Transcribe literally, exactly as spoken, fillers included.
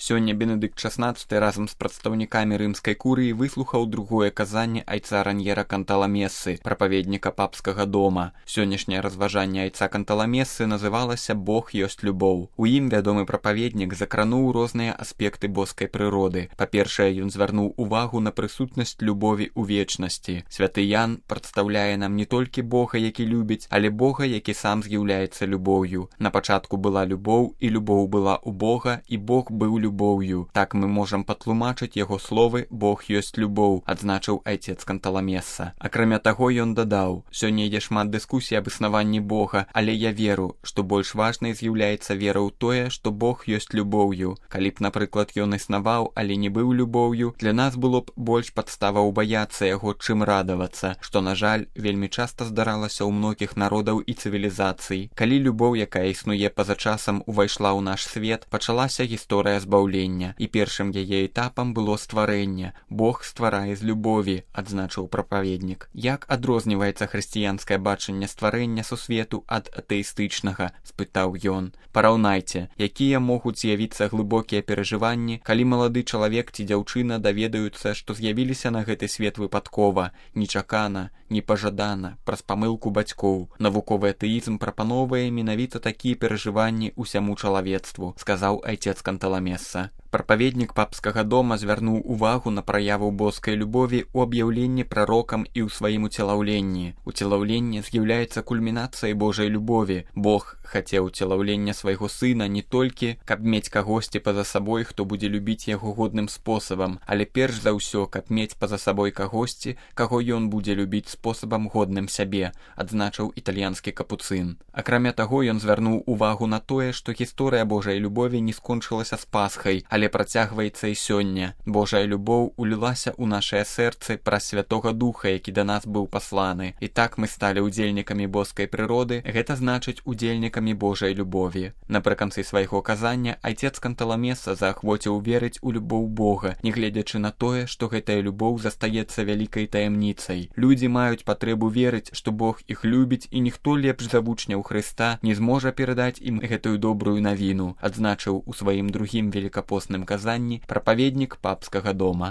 Сёння Бенедыкт шаснаццаты разам з прадстаўнікамі рымскай курыі выслухаў другое казанне айца Раньера Канталамесы, прапаведніка папскага дома. Сённяшняе разважанне айца Канталамесы называлася «Бог ёсць любоў». У ім вядомы прапаведнік закрануў розныя аспекты боскай прыроды. Па-першае, ён звярнуў увагу на прысутнасць любові ў вечнасці. Святы Ян прадстаўляе нам не толькі Бога, які любіць, але Бога, які сам з'яўляецца любоўю. На пачатку была любоў, і любоў была ў Бога, і Бог быў любоўю. любоўю. Так мы можам патлумачыць яго словы «Бог ёсць любоў», адзначыў айцец Канталамеса. Акрамя таго, ён дадаў: «Сёння ідзе шмат дыскусій аб існаванні Бога, але я веру, што больш важнай з'яўляецца вера ў тое, што Бог ёсць любоўю. Калі б, напрыклад, ён існаваў, але не быў любоўю, для нас было б больш падставаў баяцца яго, чым радавацца, што, на жаль, вельмі часта здаралася ў многіх народаў і цывілізацый. Калі любоў, якая існуе па-за часам, увайшла ў наш свет, пачалася гісторыя збаўлення. І першым яе этапам было стварэнне. Бог стварае з любові, адзначыў прапаведнік. Як адрозніваецца хрысціянскае бачанне стварэння сусвету ад атэістычнага, спытаў ён. Параўнайце, якія могуць з'явіцца глыбокія перажыванні, калі малады чалавек ці дзяўчына даведаюцца, што з'явіліся на гэты свет выпадкова, нечакана, непажадана, праз памылку бацькоў. Навуковы атэізм прапаноўвае менавіта такія перажыванні ўсяму чалавецтву, сказаў айцец Канталамеса. Прапаведнік папскага дома звярнуў увагу на праяву боскай любові ў аб'яўленні прарокам і ў сваім уцелаўленні. Уцелаўленне з'яўляецца кульмінацыяй Божай любові. Бог хацеў уцелаўлення свайго сына не толькі, каб мець кагосьці па-за сабой, хто будзе любіць яго годным спосабам, але перш за ўсё, каб мець па-за сабой кагосьці, каго ён будзе любіць спосабам годным сябе, адзначыў італьянскі капуцын. Акрамя таго, ён звярнуў увагу на тое, што гісторыя Божай любові не скончылася з Пасхай, але працягваецца і сёння. Божая любоў улілася ў нашае сэрцы праз Святога Духа, які да нас быў пасланы. І так мы сталі ўдзельнікамі боскай прыроды, гэта значыць удзельнікамі Божай любові. Напрыканцы свайго казання айцец Канталамеса заахвоціў верыць у любоў Бога, нягледзячы на тое, што гэтая любоў застаецца вялікай таямніцай. Людзі маюць патрэбу верыць, што Бог іх любіць, і ніхто лепш за вучняў Хрыста не зможа перадаць ім гэтую добрую навіну, адзначыў у сваім другім великапостным казанні прапаведнік папскага дома.